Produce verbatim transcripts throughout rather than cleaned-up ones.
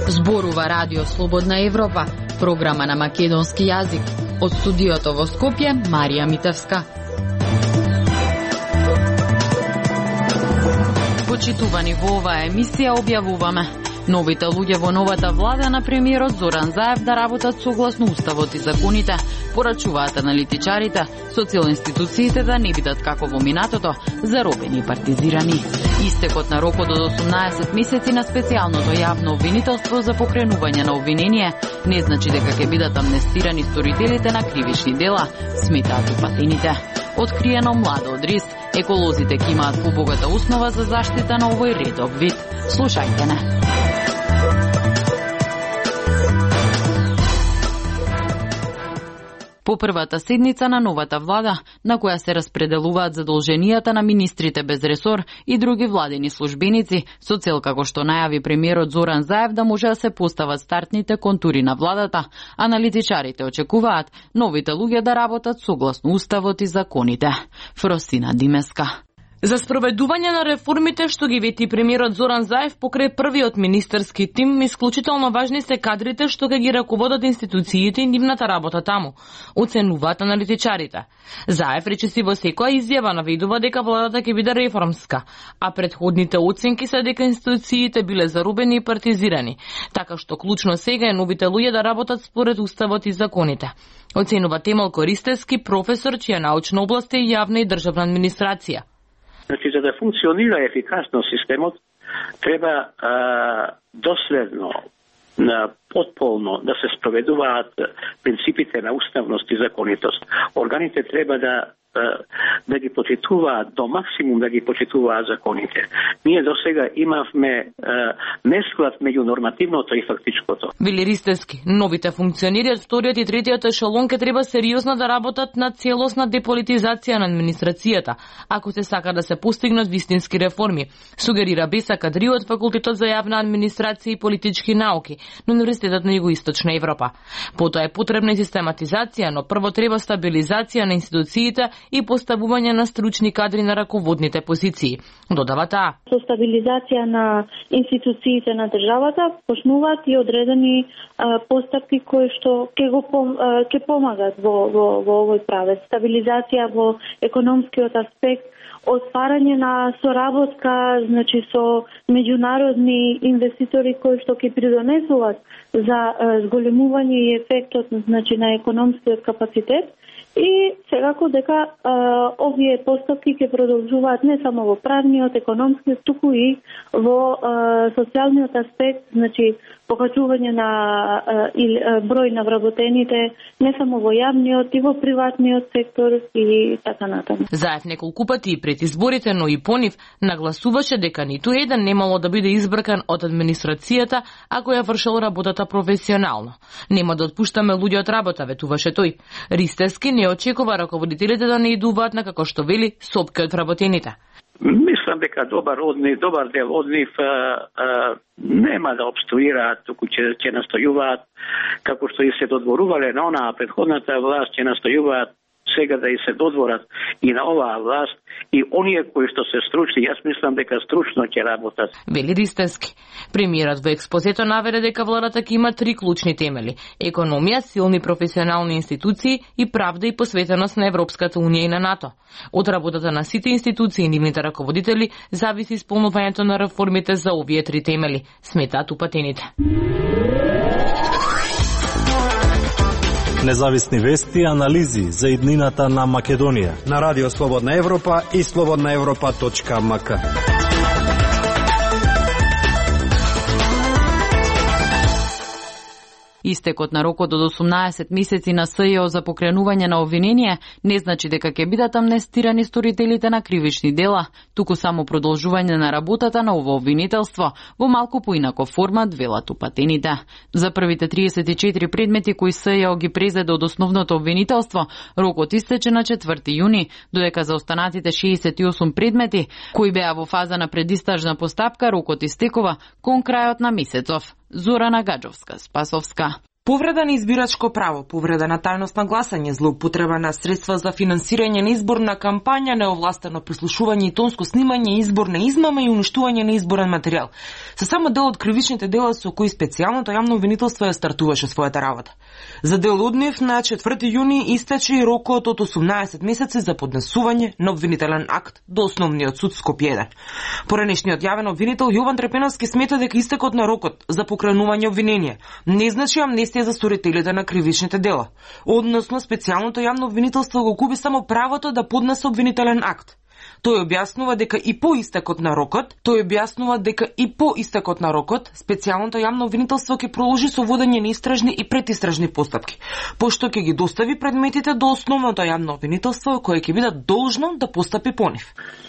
Зборува Радио Слободна Европа, програма на македонски јазик. Од студиото во Скопје, Марија Митевска. Почитувани, во оваа емисија објавуваме: новите луѓе во новата влада на премиерот Зоран Заев да работат согласно уставот и законите, порачуваат аналитичарите, социјал-институциите да не бидат како во минатото, заробени и партизирани. Истекот на рокот од осумнаесет месеци на специјалното јавно обвинителство за покренување на обвинение не значи дека ќе бидат амнестирани сторителите на кривични дела, сметаат упатените. Откриено младо од рис, еколозите ќе имаат побогата основа за заштита на овој редов вид. Слушајте не. По првата седница на новата влада, на која се распределуваат задолженијата на министрите без ресор и други владени службеници, со цел како што најави премиерот Зоран Заев да може да се постават стартните контури на владата, аналитичарите очекуваат новите луѓе да работат согласно уставот и законите. Фросина Димеска. За спроведување на реформите што ги вети премиерот Зоран Заев покрај првиот министерски тим, исклучително важни се кадрите што ќе ги раководат институциите и нивната работа таму, оценуваат аналитичарите. Заев речиси во секоја изјава наведува дека владата ќе биде реформска, а предходните оценки се дека институциите биле зарубени и партизирани, така што клучно сега е новите луѓе да работат според уставот и законите. Оценува Темел Користевски, професор чија научна област е јавна и државна администрација. Значи, за да функционира ефикасно системот, треба а, доследно, на потполно да се спроведуваат принципите на уставност и законитост. Органите треба да да ги почитуваат до максимум, да ги почитуваат законите. Ние до сега имавме несклад меѓу нормативното и фактичкото. Вели Ристевски, новите функционери од вториот и третиот ешелон ке треба сериозно да работат на целосна деполитизација на администрацијата, ако се сака да се постигнат вистински реформи, сугерира Беса Кадри од Факултетот за јавна администрација и политички науки на Универзитетот на Југоисточна Европа. Потоа е потребна систематизација, но прво треба стабилизација на институциите и поставување на стручни кадри на раководните позиции. Додава таа. Со стабилизација на институциите на државата почнуваат и одредени а, постапки кои што ќе го ќе помагат во во во овој правец. Стабилизација во економскиот аспект, отварање на соработка, значи со меѓународни инвеститори кои што ќе придонесуваат за а, зголемување и ефектот, значи на економскиот капацитет. И секако дека а, овие постапки ќе продолжуваат не само во правниот, економскиот, туку и во а, социјалниот аспект, значи покачување на а, и, а, број на вработените не само во јавниот и во приватниот сектор и така натаму. Заев неколку пати и пред изборите, но и по нив нагласуваше дека ниту еден немало да биде избркан од администрацијата ако ја вршел работата професионално. Нема да отпуштаме луѓе од работа, ветуваше тој. Ристевски не очекува раководителите да не идуваат на, како што вели, сопки од вработените. Мислам дека добар од нив, добар дел од нив а, а, нема да обструираат, туку ќе ќе настојуваат, како што и се додворувале на онаа претходната власт, ќе настојуваат сега да и се додворат и на оваа власт, и оние кои што се стручни, јас мислам дека стручно ќе работат. Вели Ристевски. Премиерот во експозето наведе дека владата ќе има три клучни темели: економија, силни професионални институции и правда и посветеност на Европската унија и на НАТО. Од работата на сите институции и нивните раководители зависи исполнувањето на реформите за овие три темели, сметаат упатените. Независни вести и анализи за иднината на Македонија на Радио Слободна Европа и слободна европа точка ем ка. Истекот на рокот од осумнаесет месеци на СЈО за покренување на обвинение не значи дека ќе бидат амнестирани сторителите на кривични дела, туку само продолжување на работата на ово обвинителство во малку поинаков формат, велат упатените. За првите триесет и четири предмети кои СЈО ги презеде од основното обвинителство, рокот истече на четврти јуни, додека за останатите шеесет и осум предмети кои беа во фаза на предистражна постапка, рокот истекува кон крајот на месецов. Зорана Гаджовска, Спасовска. Повреда на избирачко право, повреда на тајност на гласање, злоупотреба на средства за финансирање на изборна кампања, неовластено прислушување и тонско снимање, изборна измама и уништување на изборен материјал. Се само дел од кривичните дела со кои специјалното јавно обвинителство ја стартуваше својата работа. За дел од нив на четврти јуни истече и рокот од осумнаесет месеци за поднесување на обвинителен акт до Основниот суд Скопје еден. Поранешниот јавен обвинител Јован Трпеновски смета дека истекот на рокот за покренување обвинение не значи амнестија за сторителите на кривичните дела. Односно, специјалното јавно обвинителство го губи само правото да поднесе обвинителен акт. Тој објаснува дека и по истекот на рокот, тој објаснува дека и по истекот на рокот, специјалното јавно обвинителство ќе продолжи со водење на истражни и предистражни постапки, пошто ќе ги достави предметите до основното јавно обвинителство кое ќе биде должно да постапи по нив.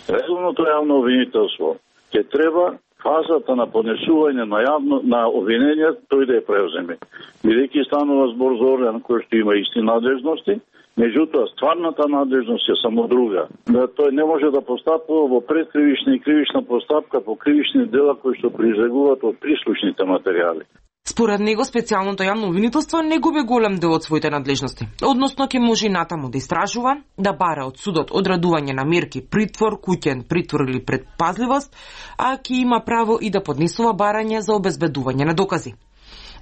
Редовното јавно обвинителство ќе треба фазата на поднесување на јавно на обвинение тој да ја превземе. Бидејќи станува збор за орган кој што има исти надлежности, меѓутоа стварната надлежност е само друга. Да тој не може да постапува во предкривична и кривична постапка по кривични дела кои што произлегуваат од прислушните материјали. Според него, специјалното јавно обвинителство не губи голем дел од своите надлежности. Односно, ќе може и натаму да истражува, да бара од судот одредување на мерки притвор, куќен притвор или предпазливост, а ќе има право и да поднесува барање за обезбедување на докази.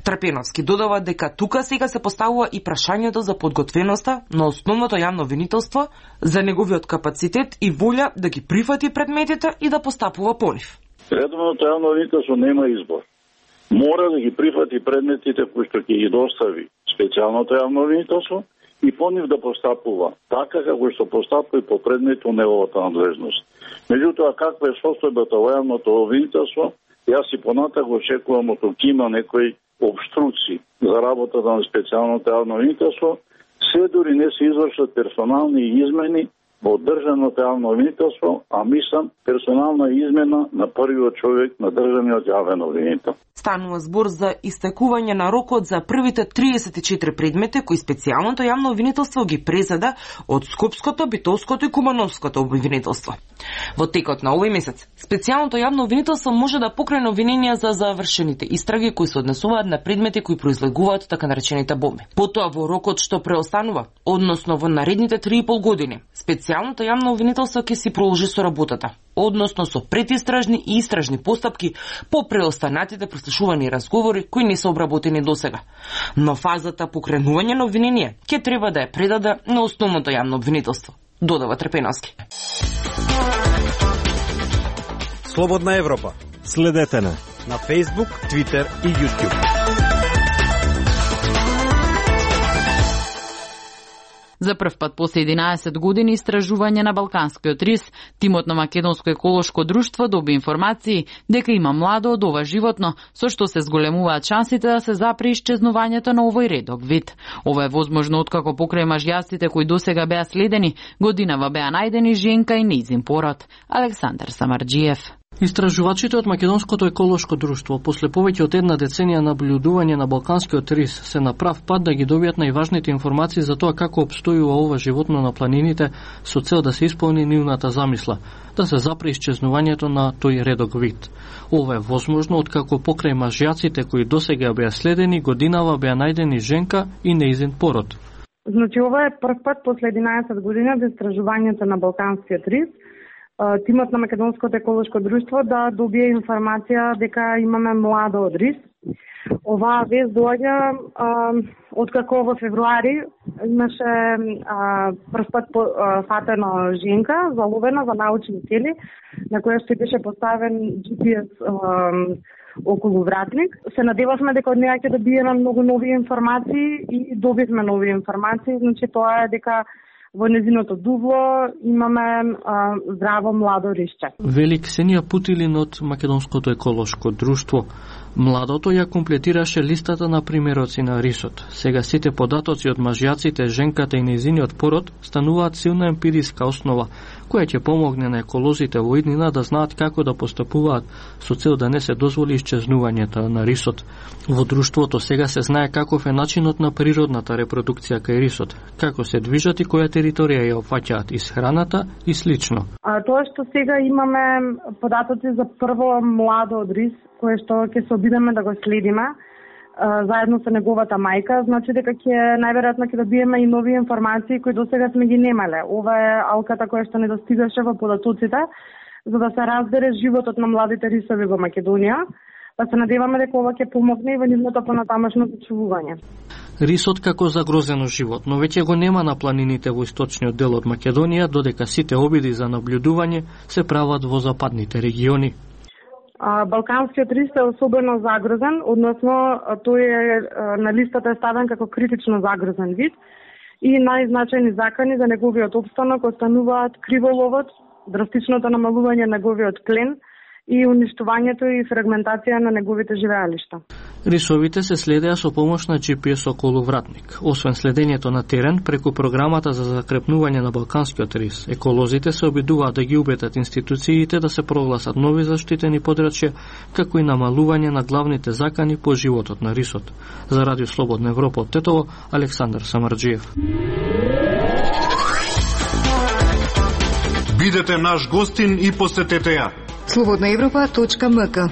Трпеновски додава дека тука сега се поставува и прашањето за подготвеноста на основното јавно обвинителство, за неговиот капацитет и волја да ги прифати предметите и да постапува по нив. Редовното јавно обвинителство нема избор. Мора да ги прифати предметите кои што ќе ги достави специјалното јавно обвинителство и по нив да постапува, така како што постапува и по предмети од неговата надлежност. Меѓутоа, каква е состојбата во јавното обвинителство, јас и понатак очекувам од тук има некои обструци за работата на специјалното јавно обвинителство, се дури не се извршат персонални измени во државното јавно обвинителство, а мислам персонална измена на првиот човек на државниот јавен обвинител. Станува збор за истекување на рокот за првите триесет и четири предмети кои специјалното јавно обвинителство ги презеда од Скопското, Битолското и Кумановското обвинителство. Во текот на овој месец, специјалното јавно обвинителство може да покрене обвиненија за завршените истраги кои се однесуваат на предмети кои произлегуваат така наречените бомби. Потоа во рокот што преостанува, односно во наредните три и пол години, специјалното јавно обвинителство ќе си продолжи со работата, односно со предистражни и истражни постапки по преостанатите прослушувани разговори кои не се обработени досега. Но фазата покренување на обвинение ќе треба да ја предаде на основното јавно обвинителство, додава Трпеновски. Слободна Европа. Следете на на Facebook, Twitter и YouTube. За прв пат после единаесет години истражување на Балканскиот рис, тимот на Македонско еколошко друштво доби информации дека има младо од ова животно, со што се зголемуваат шансите да се запре исчезнувањето на овој редок вид. Ова е возможно откако покрај мажјаците кои досега беа следени, годинава беа најдени женка и нејзин пород. Александар Самарџиев. Истражувачите од Македонското еколошко друштво после повеќе од една деценија наблюдување на Балканскиот рис се на прав пат да ги добијат најважните информации за тоа како обстојува ова животно на планините со цел да се исполни нивната замисла, да се запре исчезнувањето на тој редок вид. Ова е возможно откако покрај мажјаците кои досега беа следени, годинава беа најдени женка и нејзин пород. Значи ова е прв пат после единаесет години од истражувањето на Балканскиот рис, тимот на Македонското еколошко друштво да добие информација дека имаме младо од рис. Оваа вест доаѓа откако во февруари имаше а, прв пат по, а, фатена женка, заловена за научни цели, на која што беше поставен џи пи ес а, околу вратник. Се надевавме дека од неја ќе добиеме многу нови информации и добивме нови информации. Значи тоа е дека во незиното дуβλо имаме а, здраво младо рисче. Вели Ксенија Путилин од Македонското еколошко друштво. Младото ја комплетираше листата на примероци на рисот. Сега сите податоци од мажјаците, женката и нејзиниот пород стануваат силна емпириска основа, која ќе помогне на еколозите во иднина да знаат како да постапуваат со цел да не се дозволи исчезнувањето на рисот. Во друштвото сега се знае каков е начинот на природната репродукција кај рисот, како се движат и која територија ја опфаќаат исхраната и слично. А тоа што сега имаме податоци за прво младо од рис, кое што ќе се обидеме да го следиме, заедно со неговата мајка, значи дека ќе најверојатно ќе добиеме и нови информации кои досега сме ги немале. Ова е алката која што недостигаше во податоците, за да се разбере животот на младите рисови во Македонија. Па се надеваме дека ова ќе помогне и во нивното понатамошно зачувување. Рисот како загрозено животно веќе го нема на планините во источниот дел од Македонија, додека сите обиди за наблюдување се прават во западните региони. Балканскиот рис е особено загрозен, односно тој е на листата е ставен како критично загрозен вид и најзначајни закани за неговиот опстанок остануваат криволовот, драстичното намалување на неговиот клен и уништувањето и фрагментација на неговите живеалишта. Рисовите се следеа со помош на Джи Пи Ес околувратник. Освен следењето на терен, преку програмата за закрепнување на балканскиот рис, еколозите се обидуваат да ги убедат институциите да се прогласат нови заштитени подрачја, како и намалување на главните закани по животот на рисот. За Радио Слободна Европа од Тетово, Александар Самарџиев. Бидете наш гостин и посетете ја. слободна европа точка ем ка.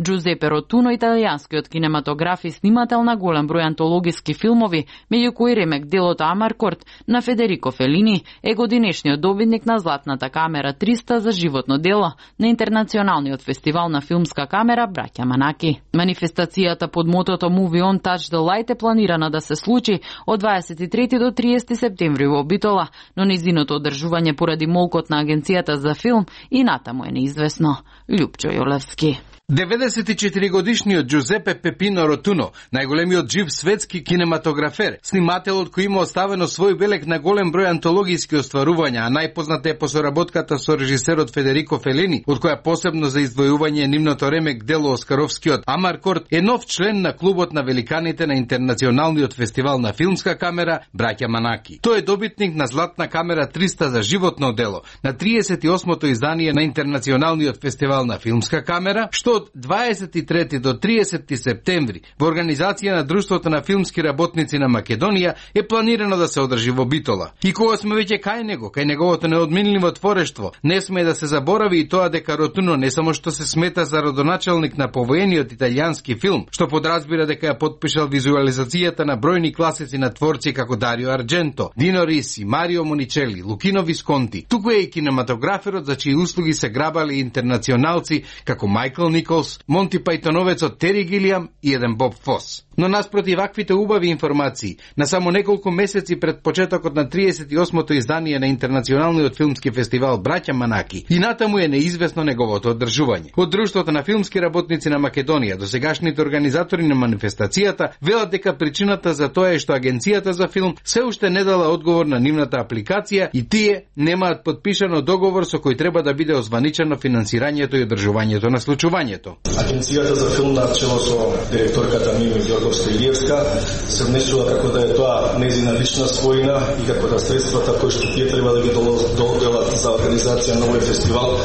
Джузепе Ротуно, италијанскиот кинематограф и снимател на голем број антологиски филмови, меѓу кои ремек делото Амаркорд на Федерико Фелини, е годинешниот добитник на Златната камера триста за животно дело на Интернационалниот фестивал на филмска камера Браќа Манаки. Манифестацијата под мотото Movie On Touch the Light е планирана да се случи од дваесет и трети до триесети септември во Битола, но нејзиното одржување поради молкот на Агенцијата за филм и натаму е неизвестно. Љупчо Јолевски. деветдесет и четири годишниот Джузепе Пепино Ротуно, најголемиот жив светски кинематографер, снимателот кој има оставено свој белег на голем број антологиски остварувања, а најпозната е по соработката со режисерот Федерико Фелини, од која посебно за издвојување нивното ремек дело Оскаровскиот Амаркорд, е нов член на клубот на великаните на Интернационалниот фестивал на филмска камера Браќа Манаки. Тој е добитник на Златна камера триста за животно дело, на триесет и осмото издание на Интернационалниот фестивал на филмска камера, што од дваесет и трети до триесети септември во организација на Друштвото на филмски работници на Македонија е планирано да се одржи во Битола. И кога сме веќе кај него, кај неговото неодминливо творештво, не сме да се заборави и тоа дека Ротуно не само што се смета за родоначалник на повоениот италијански филм, што подразбира дека ја потпишал визуализацијата на бројни класици на творци како Дарио Ардженто, Дино Риси, Марио Моничели, Лукино Висконти. Туку е и кинематограферот за чии услуги се грабали интернационалци како Мајкл Николс, Монти Пајтоновецот Тери Гилиам и еден Боб Фос. Но наспроти ваквите убави информации, на само неколку месеци пред почетокот на триесет и осмото издание на Интернационалниот филмски фестивал Браќа Манаки, и натаму е неизвестно неговото одржување. Од Друштвото на филмски работници на Македонија до сегашните организатори на манифестацијата велат дека причината за тоа е што Агенцијата за филм се уште не дала одговор на нивната апликација и тие немаат подпишано договор со кој треба да биде озваничено финансирањето и одржувањето на случувањето. Агенцијата за филм на чело со директорката Мими Ѓорговска-Илиевска се внесува како да е тоа нејзина лична својина и како да средствата кои што тие треба да ги доделат за организација на овој фестивал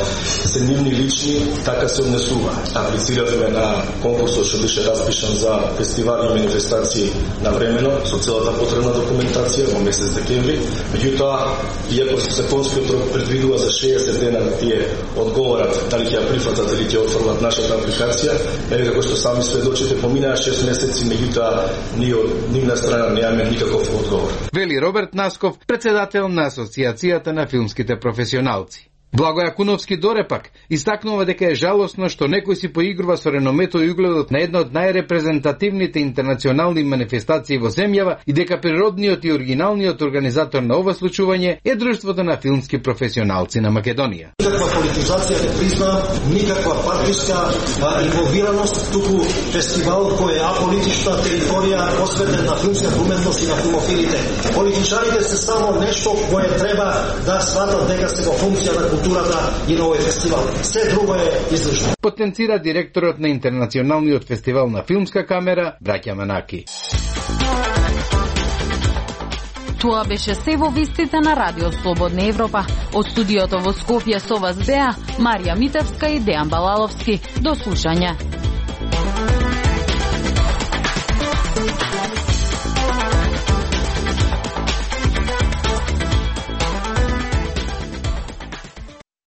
се нивни лични, така се внесува. Аплициравме на конкурсот што беше распишан за фестивали и манифестации на времено со целата потребна документација во месец декември. Меѓутоа, иако законскиот рок предвидува за шеесет дена да тие одговорат дали ќе ја прифатат или ќе отфрлат нашата апликација, еве како што сами сведочите, поминаа шест месеци, меѓутоа ние од нивна страна немаме никаков одговор. Вели Роберт Насков, председател на Асоциацијата на филмските професионалци. Благо Јакуновски дорепак истакнува дека е жалосно што некој си поигрува со реномето и угледот на една од најрепрезентативните интернационални манифестации во земјава и дека природниот и оригиналниот организатор на ова случување е Друштвото на филмски професионалци на Македонија. Никаква политизација не призна, никаква партиска инволвираност, туку фестивал кој е аполитична територија посветен на филмска уметност и на филмофилите. Политичарите се само нешто кое треба да сватат дека се во функција на културата и на овој фестивал. Се друго е излишно. Потенцира директорот на Интернационалниот фестивал на филмска камера Браќа Манаки. Тоа беше се во вестите на Радио Слободна Европа. Од студиото во Скопје со вас беа Марија Митевска и Дејан Балаловски. До слушање.